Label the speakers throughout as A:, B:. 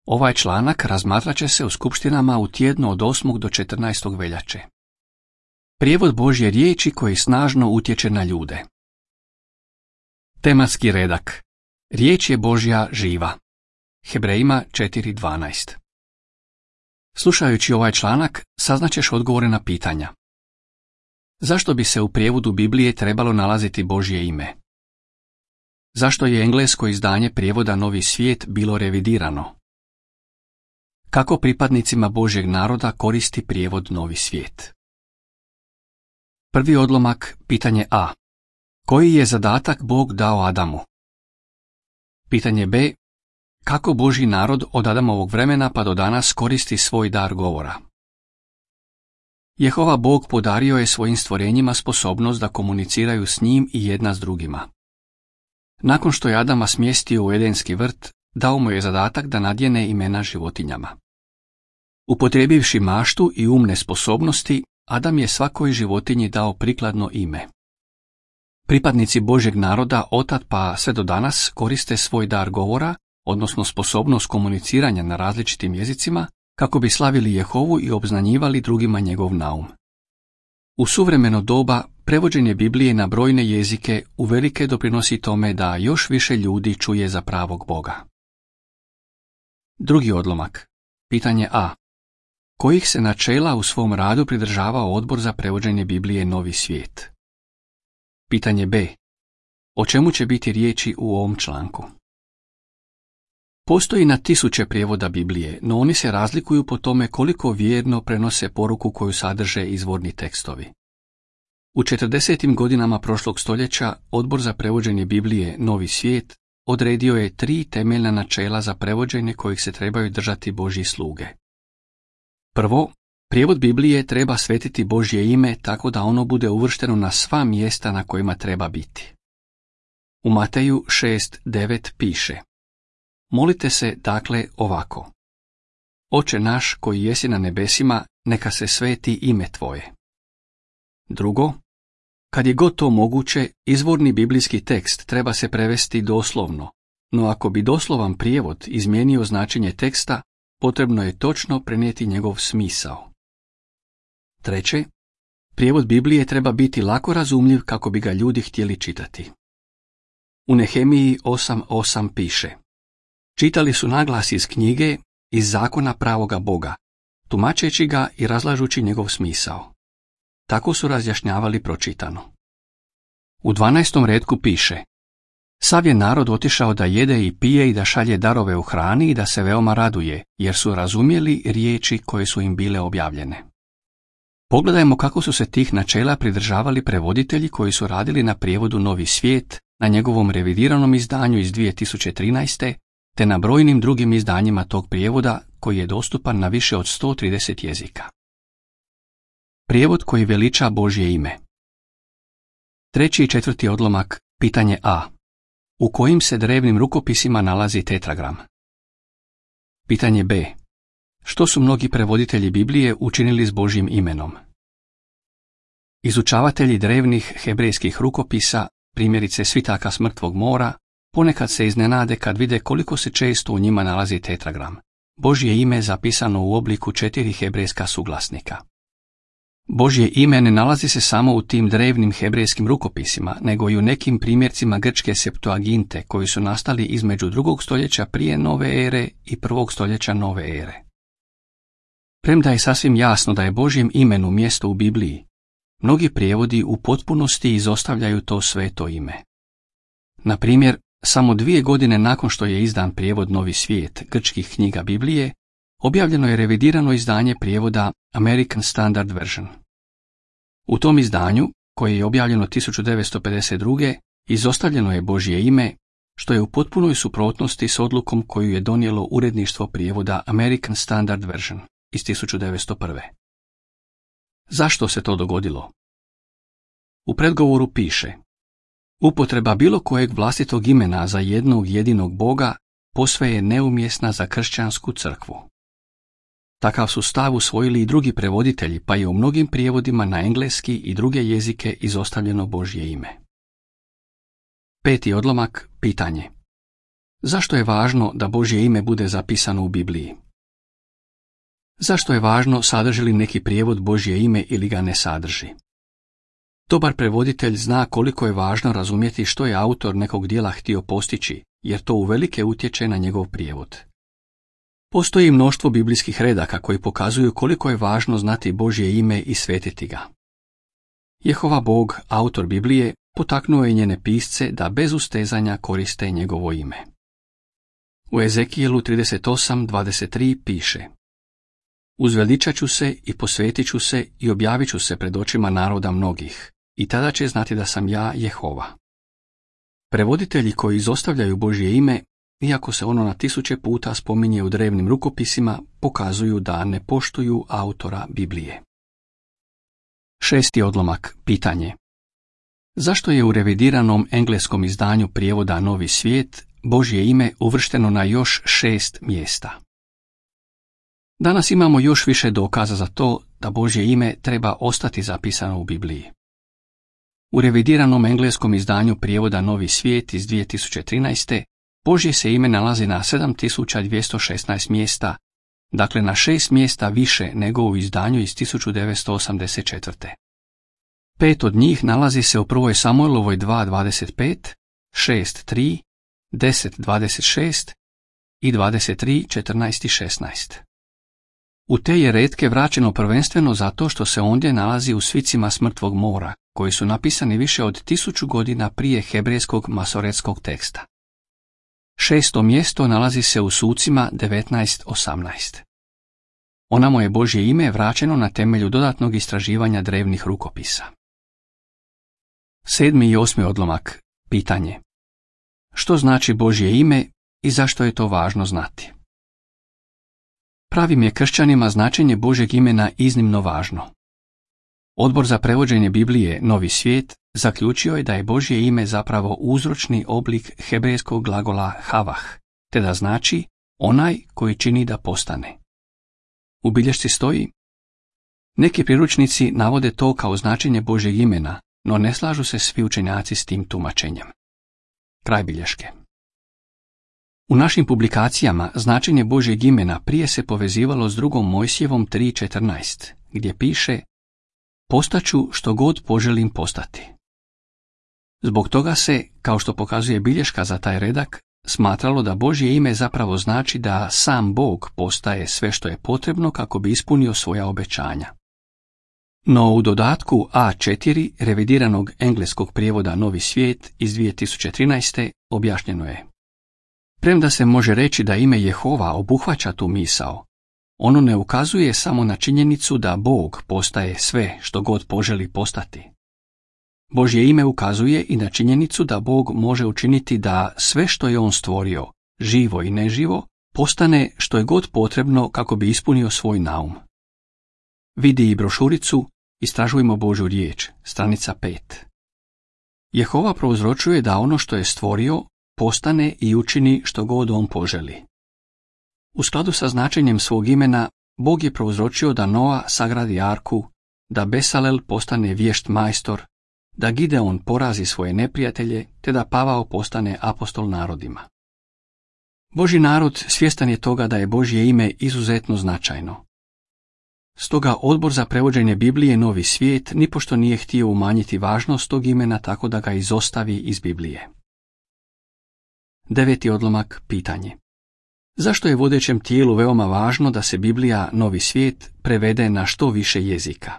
A: Ovaj članak razmatrat će se u skupštinama u tjednu od 8. do 14. veljače. Prijevod Božje riječi koji snažno utječe na ljude. Tematski redak. Riječ je Božja živa. Hebrejima 4.12. Slušajući ovaj članak, saznaćeš odgovore na pitanja. Zašto bi se u prijevodu Biblije trebalo nalaziti Božje ime? Zašto je englesko izdanje prijevoda Novi svijet bilo revidirano? Kako pripadnicima Božjeg naroda koristi prijevod Novi svijet? Prvi odlomak, pitanje A. Koji je zadatak Bog dao Adamu? Pitanje B. Kako Božji narod od Adamovog vremena pa do danas koristi svoj dar govora? Jehova Bog podario je svojim stvorenjima sposobnost da komuniciraju s njim i jedna s drugima. Nakon što je Adama smjestio u Edenski vrt, dao mu je zadatak da nadjene imena životinjama. Upotrijebivši maštu i umne sposobnosti, Adam je svakoj životinji dao prikladno ime. Pripadnici Božjeg naroda otad pa sve do danas koriste svoj dar govora, odnosno sposobnost komuniciranja na različitim jezicima, kako bi slavili Jehovu i obznanjivali drugima njegov naum. U suvremeno doba prevođenje Biblije na brojne jezike uvelike doprinosi tome da još više ljudi čuje za pravog Boga. Drugi odlomak. Pitanje A. Kojih se načela u svom radu pridržavao Odbor za prevođenje Biblije Novi svijet? Pitanje B. O čemu će biti riječi u ovom članku? Postoji na tisuće prijevoda Biblije, no oni se razlikuju po tome koliko vjerno prenose poruku koju sadrže izvorni tekstovi. U 40. godinama prošlog stoljeća Odbor za prevođenje Biblije Novi svijet odredio je 3 temeljna načela za prevođenje kojih se trebaju držati Božji sluge. Prvo, prijevod Biblije treba svetiti Božje ime tako da ono bude uvršteno na sva mjesta na kojima treba biti. U Mateju 6.9 piše: Molite se dakle ovako: Oče naš koji jesi na nebesima, neka se sveti ime tvoje. Drugo, kad je god to moguće, izvorni biblijski tekst treba se prevesti doslovno, no ako bi doslovan prijevod izmijenio značenje teksta, potrebno je točno prenijeti njegov smisao. Treće, prijevod Biblije treba biti lako razumljiv kako bi ga ljudi htjeli čitati. U Nehemiji 8.8 piše: Čitali su naglas iz knjige, iz zakona pravoga Boga, tumačeći ga i razlažući njegov smisao. Tako su razjašnjavali pročitano. U 12. retku piše: Sav je narod otišao da jede i pije i da šalje darove u hrani i da se veoma raduje, jer su razumjeli riječi koje su im bile objavljene. Pogledajmo kako su se tih načela pridržavali prevoditelji koji su radili na prijevodu Novi svijet, na njegovom revidiranom izdanju iz 2013. te na brojnim drugim izdanjima tog prijevoda koji je dostupan na više od 130 jezika. Prijevod koji veliča Božje ime. Treći i četvrti odlomak, pitanje A. U kojim se drevnim rukopisima nalazi tetragram? Pitanje B. Što su mnogi prevoditelji Biblije učinili s Božjim imenom? Izučavatelji drevnih hebrejskih rukopisa, primjerice svitaka s Mrtvog mora, ponekad se iznenade kad vide koliko se često u njima nalazi tetragram, Božje ime zapisano u obliku 4 hebrejska suglasnika. Božje ime ne nalazi se samo u tim drevnim hebrejskim rukopisima, nego i u nekim primjercima grčke Septuaginte koji su nastali između 2. stoljeća prije nove ere i 1. stoljeća nove ere. Premda je sasvim jasno da je Božjem imenu mjesto u Bibliji, mnogi prijevodi u potpunosti izostavljaju to sveto ime. Na primjer, samo 2 godine nakon što je izdan prijevod Novi svijet grčkih knjiga Biblije, objavljeno je revidirano izdanje prijevoda American Standard Version. U tom izdanju, koje je objavljeno 1952. izostavljeno je Božje ime, što je u potpunoj suprotnosti s odlukom koju je donijelo uredništvo prijevoda American Standard Version iz 1901. Zašto se to dogodilo? U predgovoru piše: Upotreba bilo kojeg vlastitog imena za jednog jedinog Boga posve je neumjesna za kršćansku crkvu. Takav su stav usvojili i drugi prevoditelji, pa je u mnogim prijevodima na engleski i druge jezike izostavljeno Božje ime. Peti odlomak, pitanje. Zašto je važno da Božje ime bude zapisano u Bibliji? Zašto je važno sadrži li neki prijevod Božje ime ili ga ne sadrži? Dobar prevoditelj zna koliko je važno razumjeti što je autor nekog djela htio postići, jer to uvelike utječe na njegov prijevod. Postoji mnoštvo biblijskih redaka koji pokazuju koliko je važno znati Božje ime i svetiti ga. Jehova Bog, autor Biblije, potaknuo je njene pisce da bez ustezanja koriste njegovo ime. U Ezekijelu 38:23 piše: Uzveličat ću se i posvetit ću se i objavit ću se pred očima naroda mnogih, i tada će znati da sam ja Jehova. Prevoditelji koji izostavljaju Božje ime, iako se ono na 1000 puta spominje u drevnim rukopisima, pokazuju da ne poštuju autora Biblije. 6. odlomak, pitanje. Zašto je u revidiranom engleskom izdanju prijevoda Novi svijet Božje ime uvršteno na još 6 mjesta? Danas imamo još više dokaza za to da Božje ime treba ostati zapisano u Bibliji. U revidiranom engleskom izdanju prijevoda Novi svijet iz 2013. Božje se ime nalazi na 7216 mjesta, dakle na 6 mjesta više nego u izdanju iz 1984. 5 od njih nalazi se u 1. Samuelovoj 2.25, 6.3, 10.26 i 23.14.16. U te je retke vraćeno prvenstveno zato što se ondje nalazi u svicima s Mrtvog mora, koji su napisani više od 1000 godina prije hebrejskog masoretskog teksta. 6. mjesto nalazi se u Sucima 19.18. Onamo je Božje ime vraćeno na temelju dodatnog istraživanja drevnih rukopisa. 7. i 8. odlomak, pitanje. Što znači Božje ime i zašto je to važno znati? Pravim je kršćanima značenje Božjeg imena iznimno važno. Odbor za prevođenje Biblije Novi svijet zaključio je da je Božje ime zapravo uzročni oblik hebrejskog glagola havah, te da znači onaj koji čini da postane. U bilješci stoji: neki priručnici navode to kao značenje Božjeg imena, no ne slažu se svi učenjaci s tim tumačenjem. Kraj bilješke. U našim publikacijama značenje Božjeg imena prije se povezivalo s 2. Mojsijevom 3.14, gdje piše: postaću što god poželim postati. Zbog toga se, kao što pokazuje bilješka za taj redak, smatralo da Božje ime zapravo znači da sam Bog postaje sve što je potrebno kako bi ispunio svoja obećanja. No u dodatku A4 revidiranog engleskog prijevoda Novi svijet iz 2013. objašnjeno je: premda se može reći da ime Jehova obuhvaća tu misao, ono ne ukazuje samo na činjenicu da Bog postaje sve što god poželi postati. Božje ime ukazuje i na činjenicu da Bog može učiniti da sve što je On stvorio, živo i neživo, postane što je god potrebno kako bi ispunio svoj naum. Vidi i brošuricu Istražujmo Božju riječ, stranica 5. Jehova prouzročuje da ono što je stvorio postane i učini što god On poželi. U skladu sa značenjem svog imena, Bog je prouzročio da Noa sagradi arku, da Besalel postane vješt majstor, da Gideon porazi svoje neprijatelje, te da Pavao postane apostol narodima. Božji narod svjestan je toga da je Božje ime izuzetno značajno. Stoga Odbor za prevođenje Biblije Novi svijet nipošto nije htio umanjiti važnost tog imena tako da ga izostavi iz Biblije. 9. odlomak, pitanje. Zašto je vodećem tijelu veoma važno da se Biblija Novi svijet prevede na što više jezika?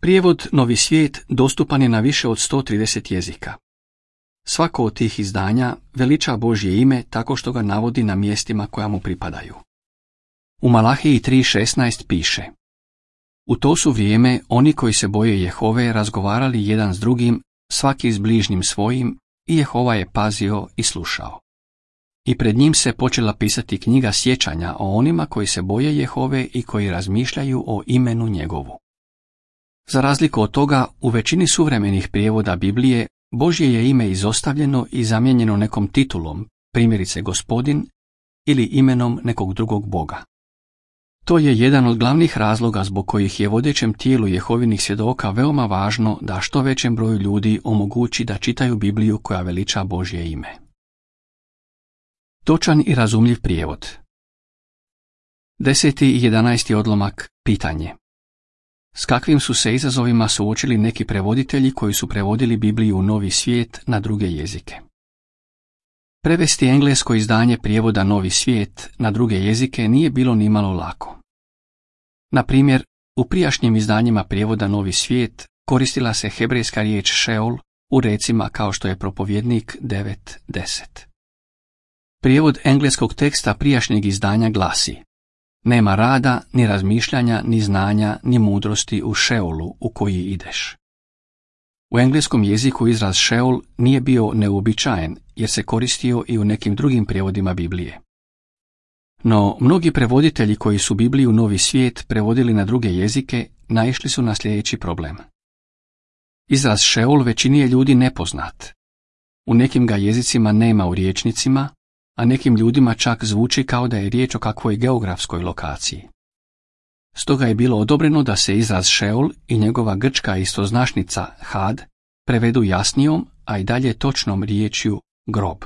A: Prijevod Novi svijet dostupan je na više od 130 jezika. Svako od tih izdanja veliča Božje ime tako što ga navodi na mjestima koja mu pripadaju. U Malahiji 3.16 piše: u to su vrijeme oni koji se boje Jehove razgovarali jedan s drugim, svaki s bližnjim svojim, i Jehova je pazio i slušao. I pred njim se počela pisati knjiga sjećanja o onima koji se boje Jehove i koji razmišljaju o imenu njegovu. Za razliku od toga, u većini suvremenih prijevoda Biblije Božje je ime izostavljeno i zamijenjeno nekom titulom, primjerice Gospodin, ili imenom nekog drugog Boga. To je jedan od glavnih razloga zbog kojih je vodećem tijelu Jehovinih svjedoka veoma važno da što većem broju ljudi omogući da čitaju Bibliju koja veliča Božje ime. Točan i razumljiv prijevod. 10. i 11. odlomak, pitanje. S kakvim su se izazovima suočili neki prevoditelji koji su prevodili Bibliju u Novi svijet na druge jezike? Prevesti englesko izdanje prijevoda Novi svijet na druge jezike nije bilo nimalo lako. Na primjer, u prijašnjim izdanjima prijevoda Novi svijet koristila se hebrejska riječ Šeol u recima kao što je Propovjednik 9:10. Prijevod engleskog teksta prijašnjeg izdanja glasi: nema rada, ni razmišljanja, ni znanja, ni mudrosti u Šeolu u koji ideš. U engleskom jeziku izraz Šeol nije bio neuobičajen jer se koristio i u nekim drugim prijevodima Biblije. No, mnogi prevoditelji koji su Bibliju Novi svijet prevodili na druge jezike naišli su na sljedeći problem. Izraz Šeol većini je ljudi nepoznat. U nekim ga jezicima nema u rječnicima, a nekim ljudima čak zvuči kao da je riječ o kakvoj geografskoj lokaciji. Stoga je bilo odobreno da se izraz Šeol i njegova grčka istoznačnica Had prevedu jasnijom, a i dalje točnom riječju grob.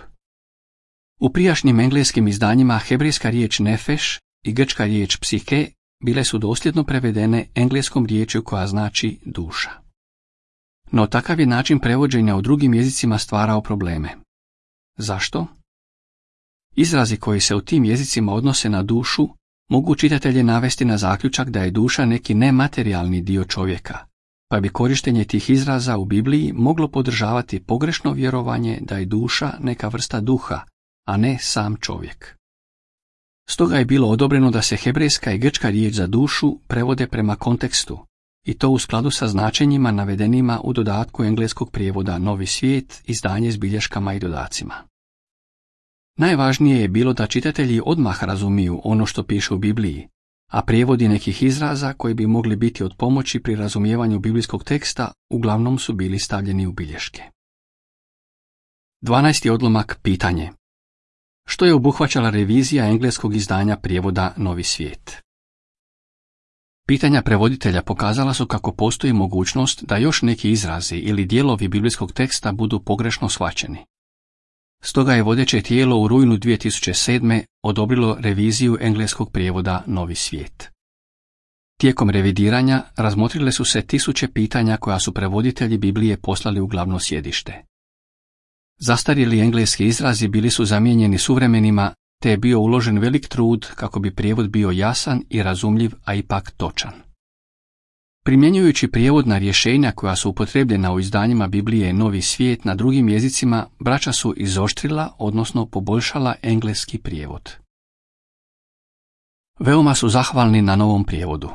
A: U prijašnjim engleskim izdanjima hebrejska riječ nefeš i grčka riječ psike bile su dosljedno prevedene engleskom riječju koja znači duša. No takav je način prevođenja u drugim jezicima stvarao probleme. Zašto? Izrazi koji se u tim jezicima odnose na dušu mogu čitatelje navesti na zaključak da je duša neki nematerijalni dio čovjeka, pa bi korištenje tih izraza u Bibliji moglo podržavati pogrešno vjerovanje da je duša neka vrsta duha, a ne sam čovjek. Stoga je bilo odobreno da se hebrejska i grčka riječ za dušu prevode prema kontekstu, i to u skladu sa značenjima navedenima u dodatku engleskog prijevoda Novi svijet, izdanje s bilješkama i dodacima. Najvažnije je bilo da čitatelji odmah razumiju ono što piše u Bibliji, a prijevodi nekih izraza koji bi mogli biti od pomoći pri razumijevanju biblijskog teksta uglavnom su bili stavljeni u bilješke. 12. odlomak, pitanje. Što je obuhvaćala revizija engleskog izdanja prijevoda Novi svijet? Pitanja prevoditelja pokazala su kako postoji mogućnost da još neki izrazi ili dijelovi biblijskog teksta budu pogrešno shvaćeni. Stoga je vodeće tijelo u rujnu 2007. odobrilo reviziju engleskog prijevoda Novi svijet. Tijekom revidiranja razmotrile su se tisuće pitanja koja su prevoditelji Biblije poslali u glavno sjedište. Zastarjeli engleski izrazi bili su zamijenjeni suvremenima, te je bio uložen velik trud kako bi prijevod bio jasan i razumljiv, a ipak točan. Primjenjujući prijevodna rješenja koja su upotrebljena u izdanjima Biblije Novi svijet na drugim jezicima, braća su izoštrila, odnosno poboljšala engleski prijevod. Veoma su zahvalni na novom prijevodu.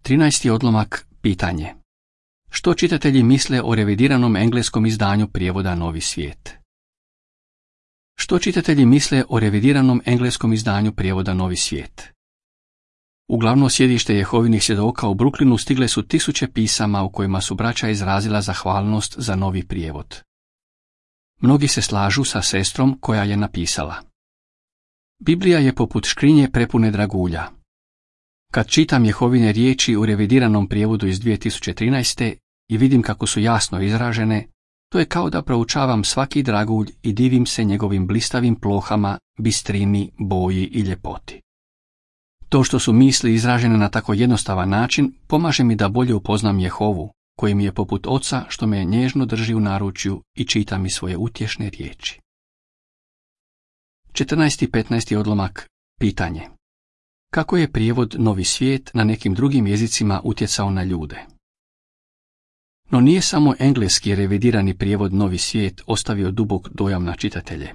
A: 13. odlomak, pitanje. Što čitatelji misle o revidiranom engleskom izdanju prijevoda Novi svijet? Što čitatelji misle o revidiranom engleskom izdanju prijevoda Novi svijet? U glavno sjedište Jehovinih svjedoka u Brooklynu stigle su tisuće pisama u kojima su braća izrazila zahvalnost za novi prijevod. Mnogi se slažu sa sestrom koja je napisala: Biblija je poput škrinje prepune dragulja. Kad čitam Jehovine riječi u revidiranom prijevodu iz 2013. i vidim kako su jasno izražene, to je kao da proučavam svaki dragulj i divim se njegovim blistavim plohama, bistrini, boji i ljepoti. To što su misli izražene na tako jednostavan način pomaže mi da bolje upoznam Jehovu, koji mi je poput oca što me nježno drži u naručju i čita mi svoje utješne riječi. 14. i 15. odlomak, pitanje. Kako je prijevod Novi svijet na nekim drugim jezicima utjecao na ljude? No nije samo engleski revidirani prijevod Novi svijet ostavio dubok dojam na čitatelje.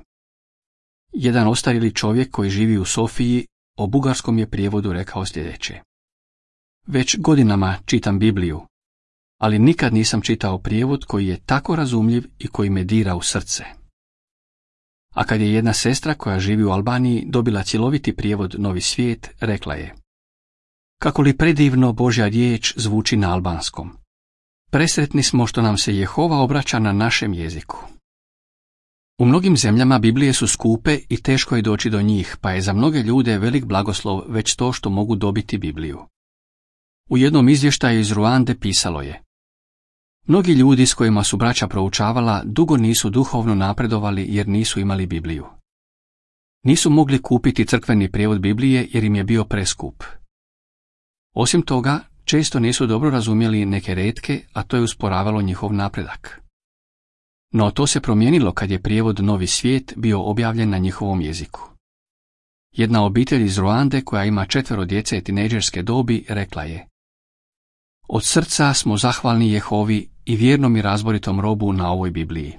A: Jedan ostarjeli čovjek koji živi u Sofiji o bugarskom je prijevodu rekao sljedeće: Već godinama čitam Bibliju, ali nikad nisam čitao prijevod koji je tako razumljiv i koji me dira u srce. A kad je jedna sestra koja živi u Albaniji dobila cjeloviti prijevod Novi svijet, rekla je: Kako li predivno Božja riječ zvuči na albanskom. Presretni smo što nam se Jehova obraća na našem jeziku. U mnogim zemljama Biblije su skupe i teško je doći do njih, pa je za mnoge ljude velik blagoslov već to što mogu dobiti Bibliju. U jednom izvještaju iz Ruande pisalo je: Mnogi ljudi s kojima su braća proučavala dugo nisu duhovno napredovali jer nisu imali Bibliju. Nisu mogli kupiti crkveni prijevod Biblije jer im je bio preskup. Osim toga, često nisu dobro razumjeli neke retke, a to je usporavalo njihov napredak. No to se promijenilo kad je prijevod Novi svijet bio objavljen na njihovom jeziku. Jedna obitelj iz Ruande koja ima 4 djece tinejdžerske dobi rekla je: Od srca smo zahvalni Jehovi i vjernom i razboritom robu na ovoj Bibliji.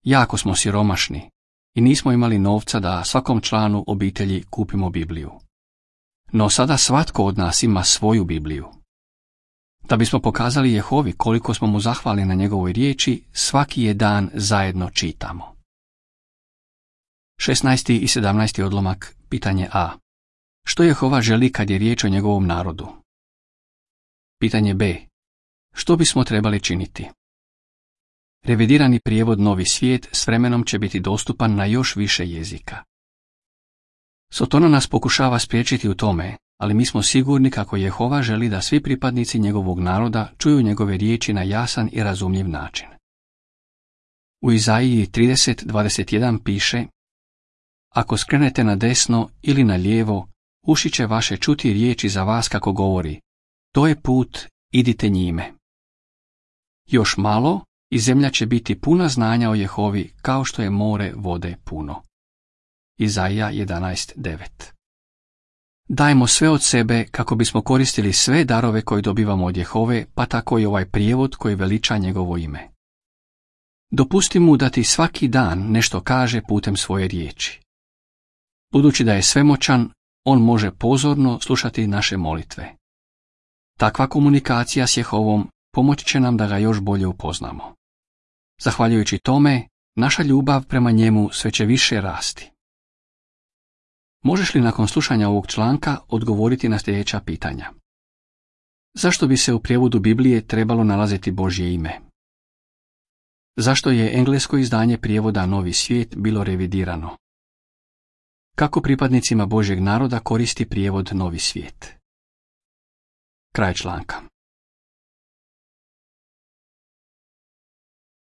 A: Jako smo siromašni i nismo imali novca da svakom članu obitelji kupimo Bibliju. No sada svatko od nas ima svoju Bibliju. Da bismo pokazali Jehovi koliko smo mu zahvalni na njegovoj riječi, svaki je dan zajedno čitamo. 16. i 17. odlomak, pitanje A. Što Jehova želi kad je riječ o njegovom narodu? Pitanje B. Što bismo trebali činiti? Revidirani prijevod Novi svijet s vremenom će biti dostupan na još više jezika. Sotona nas pokušava spriječiti u tome, ali mi smo sigurni kako Jehova želi da svi pripadnici njegovog naroda čuju njegove riječi na jasan i razumljiv način. U Izaiji 30:21 piše: Ako skrenete na desno ili na lijevo, uši će vaše čuti riječi za vas kako govori: To je put, idite njime. Još malo i zemlja će biti puna znanja o Jehovi kao što je more vode puno. Izaija 11:9. Dajmo sve od sebe kako bismo koristili sve darove koje dobivamo od Jehove, pa tako i ovaj prijevod koji veliča njegovo ime. Dopusti mu da ti svaki dan nešto kaže putem svoje riječi. Budući da je svemoćan, on može pozorno slušati naše molitve. Takva komunikacija s Jehovom pomoći će nam da ga još bolje upoznamo. Zahvaljujući tome, naša ljubav prema njemu sve će više rasti. Možeš li nakon slušanja ovog članka odgovoriti na sljedeća pitanja? Zašto bi se u prijevodu Biblije trebalo nalaziti Božje ime? Zašto je englesko izdanje prijevoda Novi svijet bilo revidirano? Kako pripadnicima Božjeg naroda koristi prijevod Novi svijet? Kraj članka.